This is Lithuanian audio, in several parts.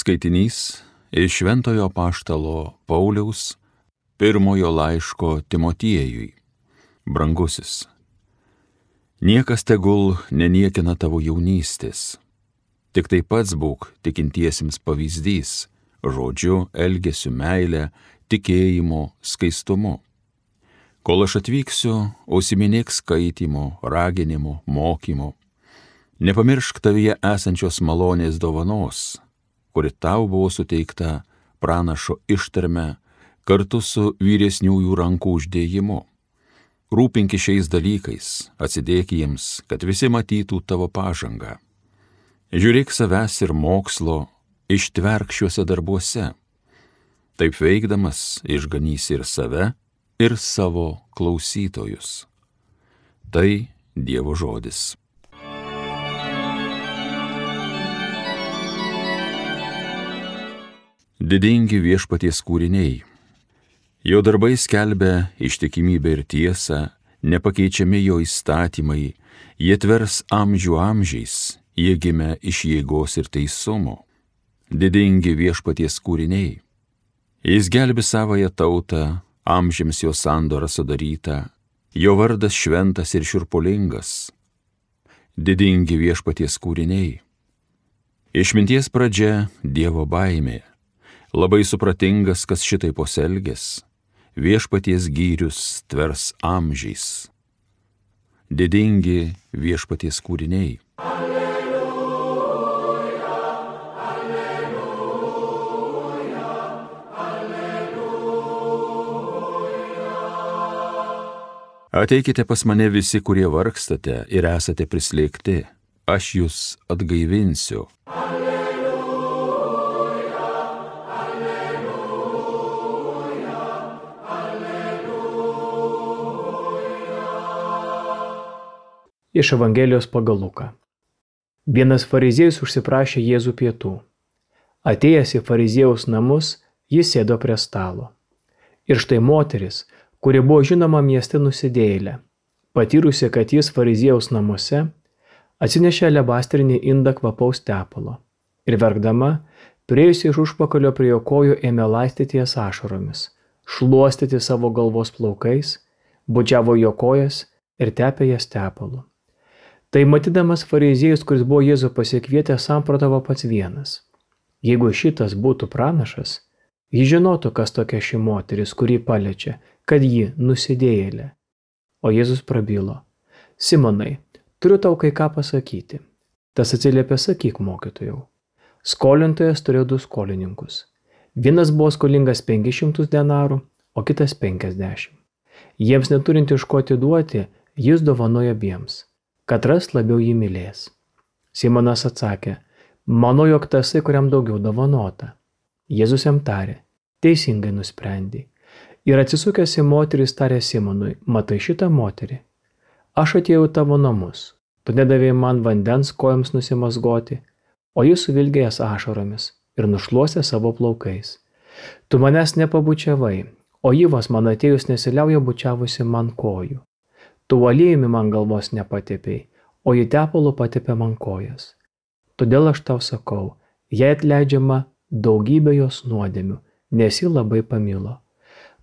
Skaitinys iš Šventojo apaštalo Pauliaus pirmojo laiško Timotiejui. Brangusis, niekas tegul neniekina tavo jaunystės. Tik tai pats būk tikintiesiems pavyzdys, žodžiu, elgesiu, meile, tikėjimu, skaistumu. Kol aš atvyksiu, užsiminėk skaitymu, raginimu, mokymu. Nepamiršk tavyje esančios malonės dovanos, kuri tau buvo suteikta pranašo ištarme kartu su vyresniųjų rankų uždėjimu. Rūpinki šiais dalykais, atsidėk jiems, kad visi matytų tavo pažangą. Žiūrėk savęs ir mokslo, ištverk šiuose darbuose. Taip veikdamas išganysi ir save, ir savo klausytojus. Tai Dievo žodis. Didingi Viešpaties kūriniai. Jo darbai skelbia ištikimybę ir tiesą, nepakeičiami jo įstatymai, jie tvers amžių amžiais, jie gimė iš jėgos ir teisumo. Didingi Viešpaties kūriniai. Jis gelbi savąją tautą, amžiams jo sandora sudaryta, jo vardas šventas ir šiurpulingas. Didingi Viešpaties kūriniai. Išminties pradžia Dievo baimė. Labai supratingas, kas šitai pasielgęs, Viešpaties gyrius tvers amžiais. Didingi Viešpaties kūriniai. Alleluja, alleluja, alleluja. Ateikite pas mane visi, kurie vargstate ir esate prislėgti, aš jūs atgaivinsiu. Iš Evangelijos pagal Luką. Vienas fariziejus užsiprašė Jėzų pietų. Atėjęs į fariziejaus namus, jis sėdo prie stalo. Ir štai moteris, kuri buvo žinoma mieste nusidėjėlė, patyrusi, kad jis fariziejaus namuose, atsinešė alebastrinį indą kvapaus tepalo ir verkdama, priėjusi iš užpakalio prie jo kojų, ėmė laistyti jas ašaromis, šluostyti savo galvos plaukais, bučiavo jo kojas ir tepė jas tepalu. Tai matydamas fariziejus, kuris buvo Jėzų pasikvietę, samprotavo pats vienas. Jeigu šitas būtų pranašas, jis žinotų, kas tokia ši moteris, kurį paliečia, kad ji nusidėjėlė. O Jėzus prabilo: Simonai, turiu tau kai ką pasakyti. Tas atsiliepė: sakyk, mokytojau. Skolintojas turėjo 2 skolininkus. Vienas buvo skolingas 500 denarų, o kitas 50. Jiems neturint iš ko atiduoti, jis dovanojo abiems, katras labiau jį mylės. Simonas atsakė: manau, jog tasai, kuriam daugiau dovanota. Jėzus jam tarė: teisingai nusprendei. Ir atsisukęs į moterį tarė Simonui: matai šitą moterį? Aš atėjau tavo namus, tu nedavėjai man vandens kojoms nusimazgoti, o jis suvilgė jas ašaromis ir nušluostė savo plaukais. Tu manęs nepabučiavai, o ji vos man atėjus nesiliauja bučiavusi man kojų. Tu aliejumi man galvos nepatepėjai, o ji tepalu patepė man kojas. Todėl aš tau sakau, jai atleidžiama daugybė jos nuodėmių, nes ji labai pamilo.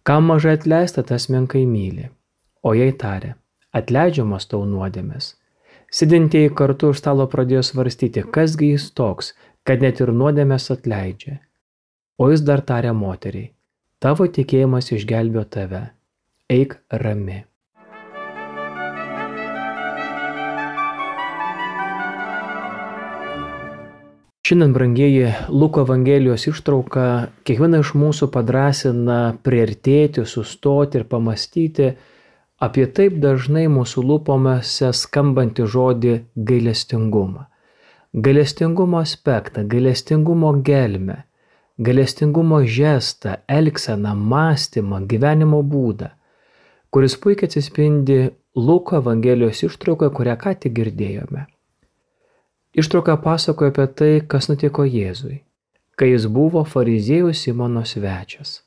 Kam mažai atleista, tas menkai myli. O jai tarė: atleidžiamas tau nuodėmės. Sėdintieji kartu už stalo pradėjo svarstyti, kasgi jis toks, kad net ir nuodėmės atleidžia. O jis dar tarė moteriai: tavo tikėjimas išgelbėjo tave, eik rami. Šiandien, brangieji, Luko Evangelijos ištrauka kiekvieną iš mūsų padrąsina priartėti, sustoti ir pamastyti apie taip dažnai mūsų lūpomėse skambantį žodį gailestingumą. Gailestingumo aspektą, gailestingumo gelmę, gailestingumo žestą, elgseną, mąstymą, gyvenimo būdą, kuris puikiai atsispindi Luko Evangelijos ištraukoje, kurią ką tik girdėjome. Ištrauka pasakoja apie tai, kas nutiko Jėzui, kai jis buvo fariziejų Simono svečias.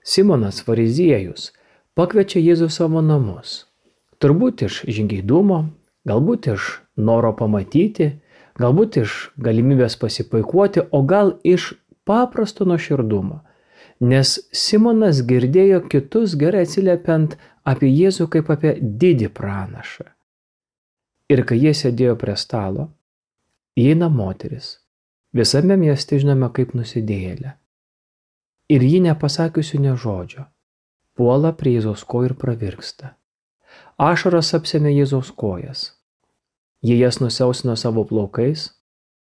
Simonas fariziejus pakviečia Jėzų savo namus. Turbūt iš žingeidumo, galbūt iš noro pamatyti, galbūt iš galimybės pasipuikuoti, o gal iš paprasto nuoširdumo, nes Simonas girdėjo kitus gerai atsiliepiant apie Jėzų kaip apie didį pranašą. Ir kai jie sėdėjo prie stalo, įeina moteris, visame mieste žinoma kaip nusidėjėlė. Ir ji nepasakiusi nė žodžio, puola prie Jėzaus kojų ir pravirksta. Ašaros apsėmė Jėzaus kojas. Jie jas nusiausino savo plaukais,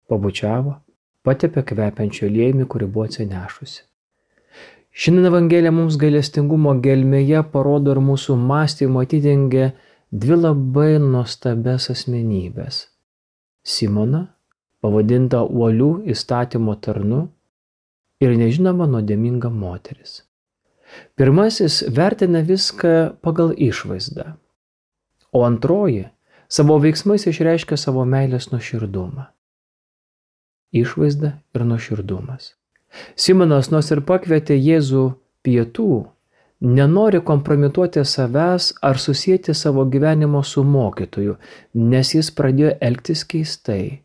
pabučiavo, patepė kvepiančio aliejumi, kurį buvo atsinešusi. Šiandien Evangelija mums gailestingumo gelmėje parodo ir mūsų mąstymo atidengia dvi labai nuostabias asmenybės. Simoną, pavadintą uolių įstatymo tarnu, ir nežinoma nuodėminga moteris. Pirmasis vertina viską pagal išvaizdą, o antroji savo veiksmais išreiškia savo meilės nuoširdumą. Išvaizda ir nuoširdumas. Simonas nors ir pakvietė Jėzų pietų, nenori kompromituoti savęs ar susijęti savo gyvenimo su mokytoju, nes jis pradėjo elgtis keistai.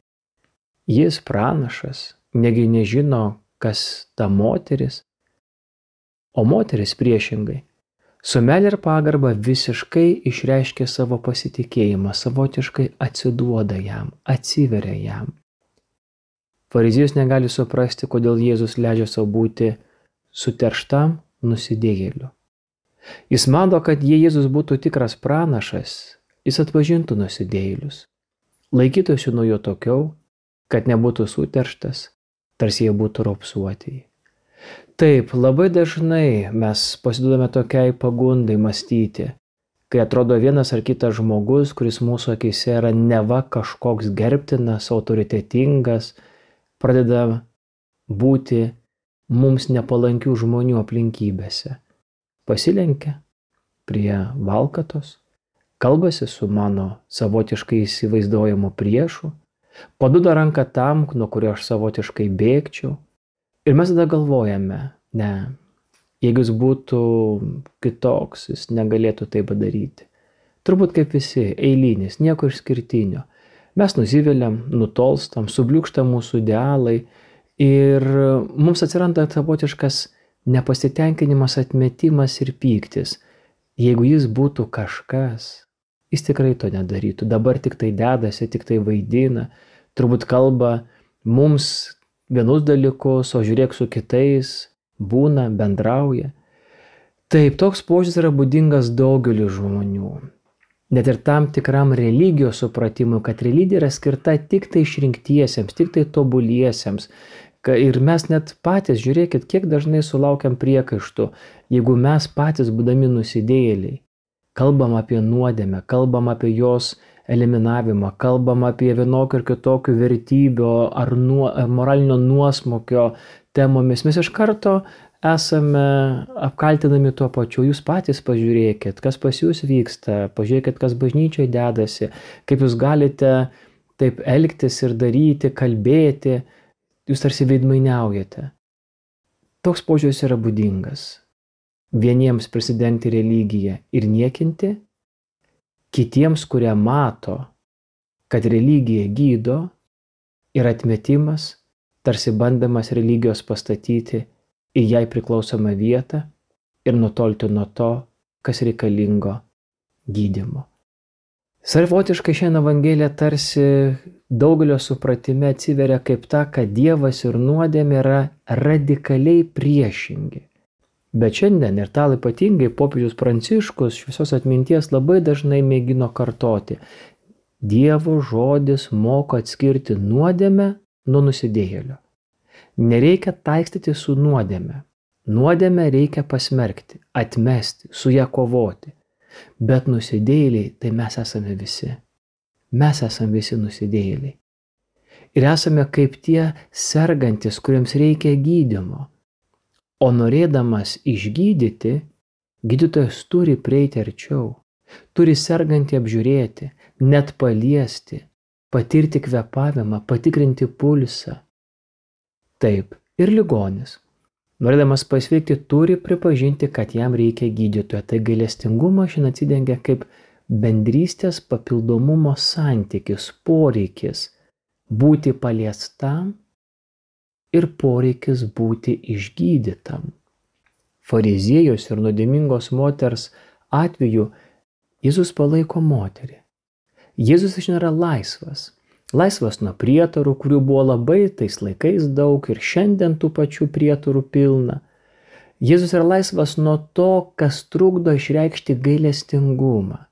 Jis pranašas, negi nežino, kas ta moteris, o moteris priešingai, su meile ir pagarba visiškai išreiškia savo pasitikėjimą, savotiškai atsiduoda jam, atsiveria jam. Fariziejus negali suprasti, kodėl Jėzus leidžia savo būti suterštam nusidėjėliu. Jis mano, kad jei Jėzus būtų tikras pranašas, jis atpažintų nusidėjėlius, laikytųsi nuo jo tokiau, kad nebūtų suterštas, tarsi jie būtų raupsuotieji. Taip, labai dažnai mes pasiduodame tokiai pagundai mąstyti, kai atrodo vienas ar kitas žmogus, kuris mūsų akyse yra neva kažkoks gerbtinas, autoritetingas, pradeda būti mums nepalankių žmonių aplinkybėse. Pasilenkia prie valkatos, kalbasi su mano savotiškai įsivaizduojamu priešu, paduoda ranką tam, nuo kurio aš savotiškai bėgčiau. Ir mes tada galvojame, ne, jeigu jis būtų kitoks, jis negalėtų tai padaryti. Turbūt kaip visi, eilinis, nieko išskirtinio. Mes nusiviliam, nutolstam, subliūkšta mūsų idealai ir mums atsiranda savotiškas nepasitenkinimas, atmetimas ir pyktis. Jeigu jis būtų kažkas, jis tikrai to nedarytų. Dabar tik tai dedasi, tik tai vaidina, turbūt kalba mums vienus dalykus, o žiūrėk su kitais, būna, bendrauja. Taip, toks požiūris yra būdingas daugeliu žmonių. Net ir tam tikram religijos supratimui, kad religija yra skirta tik tai išrinktiesiems, tik tai tobuliesiems. Ir mes net patys, žiūrėkit, kiek dažnai sulaukiam priekaištų, jeigu mes patys būdami nusidėjėliai, kalbam apie nuodėmę, kalbam apie jos eliminavimą, kalbam apie vienokių ir kitokių vertybių ar moralinio nuosmukio temomis, mes iš karto esame apkaltinami tuo pačiu. Jūs patys pažiūrėkit, kas pas jūs vyksta, pažiūrėkit, kas bažnyčioje dedasi, kaip jūs galite taip elgtis ir daryti, kalbėti, jūs tarsi veidmainiaujate. Toks požiūris yra būdingas. Vieniems prisidengti religiją ir niekinti, kitiems, kurie mato, kad religija gydo, ir atmetimas, tarsi bandamas religijos pastatyti į jai priklausomą vietą ir nutolti nuo to, kas reikalingo gydymo. Savotiškai šiandien Evangelija tarsi daugelio supratime atsiveria kaip ta, kad Dievas ir nuodėmė yra radikaliai priešingi. Bet šiandien ir tal ypatingai popiežius Pranciškus šviesos atminties labai dažnai mėgino kartoti. Dievo žodis moko atskirti nuodėmę nuo nusidėjėlio. Nereikia taikstyti su nuodėme. Nuodėmę reikia pasmerkti, atmesti, su ją kovoti. Bet nusidėjėliai tai mes esame visi. Mes esame visi nusidėjėliai. Ir esame kaip tie sergantis, kuriems reikia gydymo. O norėdamas išgydyti, gydytojas turi prieiti arčiau, turi sergantį apžiūrėti, net paliesti, patirti kvėpavimą, patikrinti pulsą. Taip, ir ligonis, norėdamas pasveikti, turi pripažinti, kad jam reikia gydytojo. Tai gailestingumas šiandien atsidengia kaip bendrystės papildomumo santykis, poreikis būti paliestam ir poreikis būti išgydytam. Fariziejos ir nuodėmingos moters atveju Jėzus palaiko moterį. Jėzus nėra laisvas. Laisvas nuo prietarų, kurių buvo labai tais laikais daug ir šiandien tų pačių prietarų pilna. Jėzus yra laisvas nuo to, kas trukdo išreikšti gailestingumą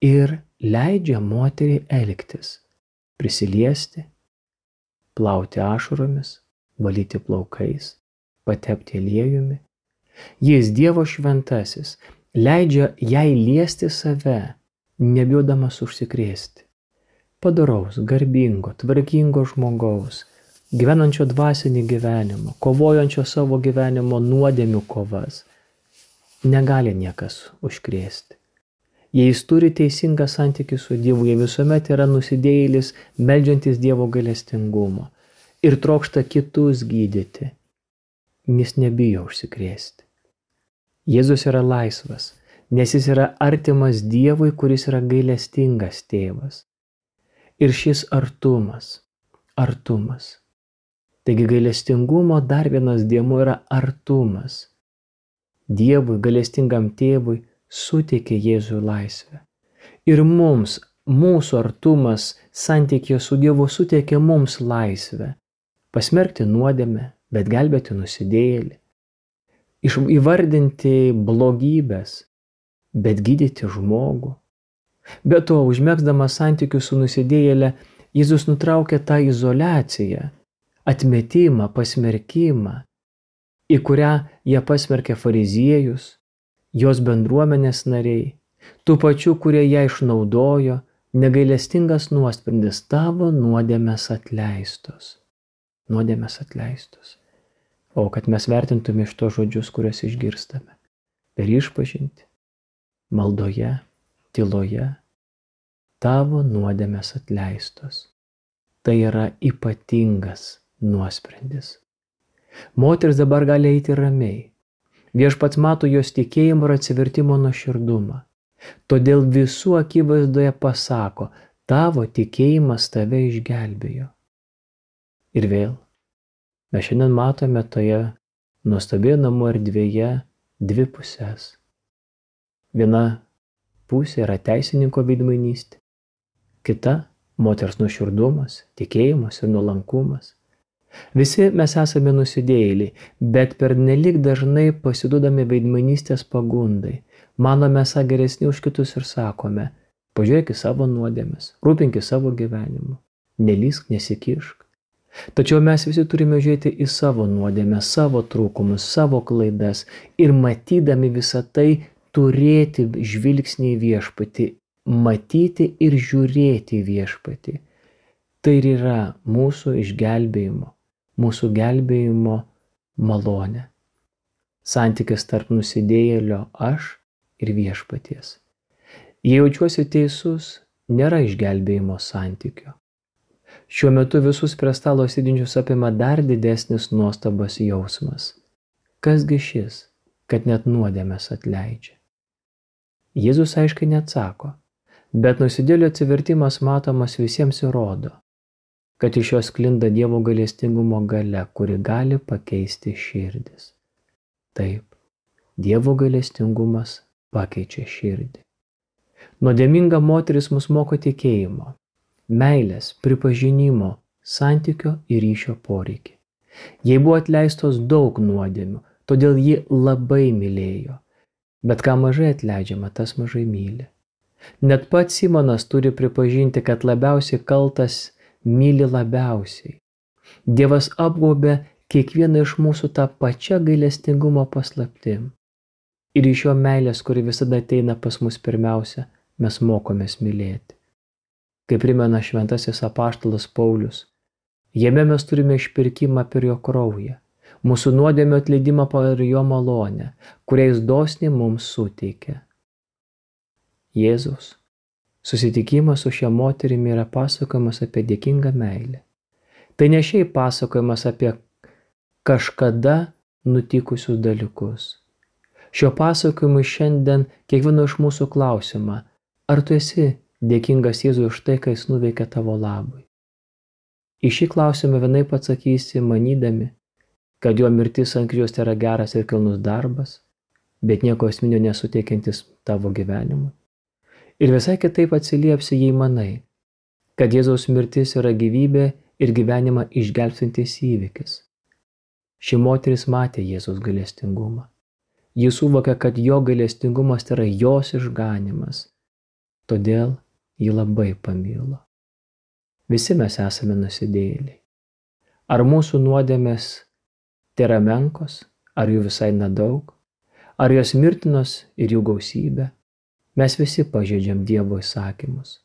ir leidžia moteriai elgtis, prisiliesti, plauti ašaromis, valyti plaukais, patepti aliejumi. Jis Dievo šventasis leidžia jai liesti save, nebijodamas užsikrėsti. Padoraus, garbingo, tvarkingo žmogaus, gyvenančio dvasinį gyvenimą, kovojančio savo gyvenimo nuodėmių kovas, negali niekas užkrėsti. Jei jis turi teisingą santykį su Dievu, jie visuomet yra nusidėjėlis, meldžiantis Dievo gailestingumo ir trokšta kitus gydyti, jis nebijo užsikrėsti. Jėzus yra laisvas, nes jis yra artimas Dievui, kuris yra gailestingas tėvas. Ir šis artumas. Taigi gailestingumo dar vienas dėmuo yra artumas. Dievui, gailestingam tėvui, suteikė Jėzui laisvę. Ir mums, mūsų artumas santykėje su Dievu suteikė mums laisvę. Pasmerkti nuodėmę, bet gelbėti nusidėjėlį. Įvardinti blogybės, bet gydyti žmogų. Be to, užmegzdamas santykius su nusidėjėle, Jėzus nutraukė tą izoliaciją, atmetimą, pasmerkimą, į kurią jie pasmerkė fariziejus, jos bendruomenės nariai, tų pačių, kurie ją išnaudojo, negailestingas nuosprendis, tavo nuodėmės atleistos. Nuodėmės atleistos. O kad mes vertintume iš to žodžius, kuriuos išgirstame, per išpažintį, maldoje, tyloje, tavo nuodėmės atleistos. Tai yra ypatingas nuosprendis. Moteris dabar gali eiti ramiai. Viešpats mato jos tikėjimo ir atsivertimo nuoširdumą. Todėl visų akivaizdoje pasako, tavo tikėjimas tave išgelbėjo. Ir vėl, mes šiandien matome toje nuostabioje namų erdvėje dvi pusės. Viena pusė yra teisininko veidmainystė, kita moters nuoširdumas, tikėjimas ir nuolankumas. Visi mes esame nusidėjėliai, bet pernelyg dažnai pasiduodame veidmainystės pagundai, manome esą geresni už kitus ir sakome, pažiūrėk į savo nuodėmes, rūpink savo gyvenimu, nelysk, nesikišk. Tačiau mes visi turime žiūrėti į savo nuodėmę, savo trūkumus, savo klaidas ir matydami visą tai turėti žvilgsnį į viešpatį, matyti ir žiūrėti į viešpatį. Tai ir yra mūsų išgelbėjimo, mūsų gelbėjimo malonė. Santykis tarp nusidėjėlio aš ir viešpaties. Jei jaučiuosi teisus, nėra išgelbėjimo santykio. Šiuo metu visus prie stalo sėdinčius apima dar didesnis nuostabos jausmas. Kasgi šis, kad net nuodėmes atleidžia? Jėzus aiškiai neatsako, bet nusidėjėlio atsivertimas matomas visiems įrodo, kad iš jos sklinda Dievo gailestingumo galia, kuri gali pakeisti širdis. Taip, Dievo gailestingumas pakeičia širdį. Nuodėminga moteris mus moko tikėjimo, meilės, pripažinimo, santykio ir ryšio poreikį. Jai buvo atleistos daug nuodėmių, todėl ji labai mylėjo. Bet ką mažai atleidžiama, tas mažai myli. Net pats Simonas turi pripažinti, kad labiausiai kaltas myli labiausiai. Dievas apgaubė kiekvieną iš mūsų tą pačią gailestingumo paslaptim. Ir iš jo meilės, kuri visada ateina pas mus pirmiausia, mes mokomės mylėti. Kaip primena šventasis apaštalas Paulius, jame mes turime išpirkimą per jo kraują, mūsų nuodėmio atleidimą per jo malonę, kurią jis dosniai mums suteikia. Jėzus susitikimas su šia moterimi yra pasakojimas apie dėkingą meilę. Tai ne šiaip pasakojimas apie kažkada nutikusius dalykus. Šio pasakojimu šiandien kiekvieno iš mūsų klausimą, ar tu esi dėkingas Jėzui už tai, ką jis nuveikė tavo labui? Į šį klausimą vienaip atsakysi manydami, kad jo mirtis ant kryžiaus yra geras ir kilnus darbas, bet nieko esminio nesuteikiantis tavo gyvenimui. Ir visai kitaip atsiliepsi, jei manai, kad Jėzaus mirtis yra gyvybė ir gyvenimą išgelbstintis įvykis. Ši moteris matė Jėzaus gailestingumą. Ji suvokė, kad jo gailestingumas yra jos išganymas. Todėl ji labai pamilo. Visi mes esame nusidėjėliai. Ar mūsų nuodėmės tėra menkos, ar jų visai nedaug, ar jos mirtinos ir jų gausybė? Mes visi pažeidžiam Dievo įsakymus.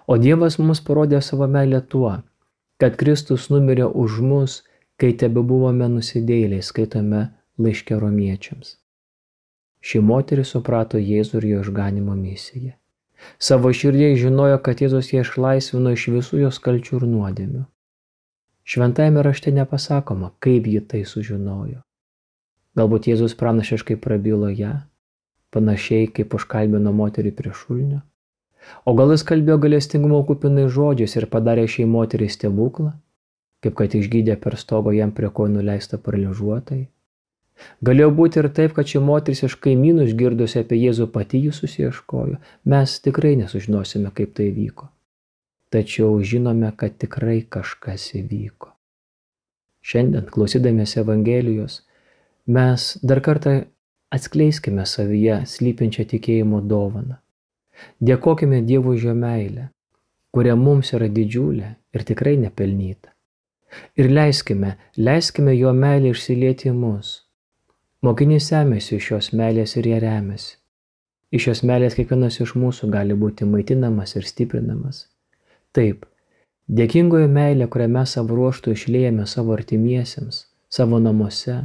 O Dievas mums parodė savo meilę tuo, kad Kristus numirė už mus, kai tebebuvome nusidėjėliai, skaitome laiške Romiečiams. Ši moteris suprato Jėzų ir jo išganymo misiją. Savo širdyje žinojo, kad Jėzus ją išlaisvino iš visų jos kalčių ir nuodėmių. Šventajame rašte nepasakoma, kaip ji tai sužinojo. Galbūt Jėzus pranašiškai prabilo ją, panašiai kaip užkalbino moterį prie šulinio. O gal jis kalbėjo gailestingumo kupinais žodžiais ir padarė šiai moteriai stebuklą, kaip kad išgydė per stogo jam prie kojų nuleistą paralyžiuotai. Galėjo būti ir taip, kad ši moteris iš kaimynų išgirdusi apie Jėzų pati jį susiieškojo. Mes tikrai nesužinosime, kaip tai vyko. Tačiau žinome, kad tikrai kažkas įvyko. Šiandien, klausydamiesi Evangelijos, mes dar kartą atskleiskime savyje slypinčią tikėjimo dovaną. Dėkokime Dievui už jo meilę, kuria mums yra didžiulė ir tikrai nepelnyta. Ir leiskime jo meilę išsilieti į mus. Mokinys semėsi iš šios meilės ir ją remiasi. Iš šios meilės kiekvienas iš mūsų gali būti maitinamas ir stiprinamas. Taip, dėkingoji meilė, kurią mes savo ruožtu išliejame savo artimiesiems, savo namuose,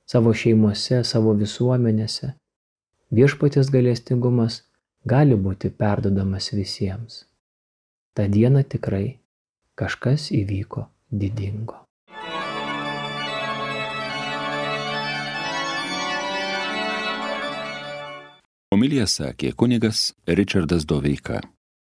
savo šeimose, savo visuomenėse, viešpaties gailestingumas gali būti perduodamas visiems. Ta diena tikrai kažkas įvyko didingo. Homiliją sakė kunigas Ričardas Doveika.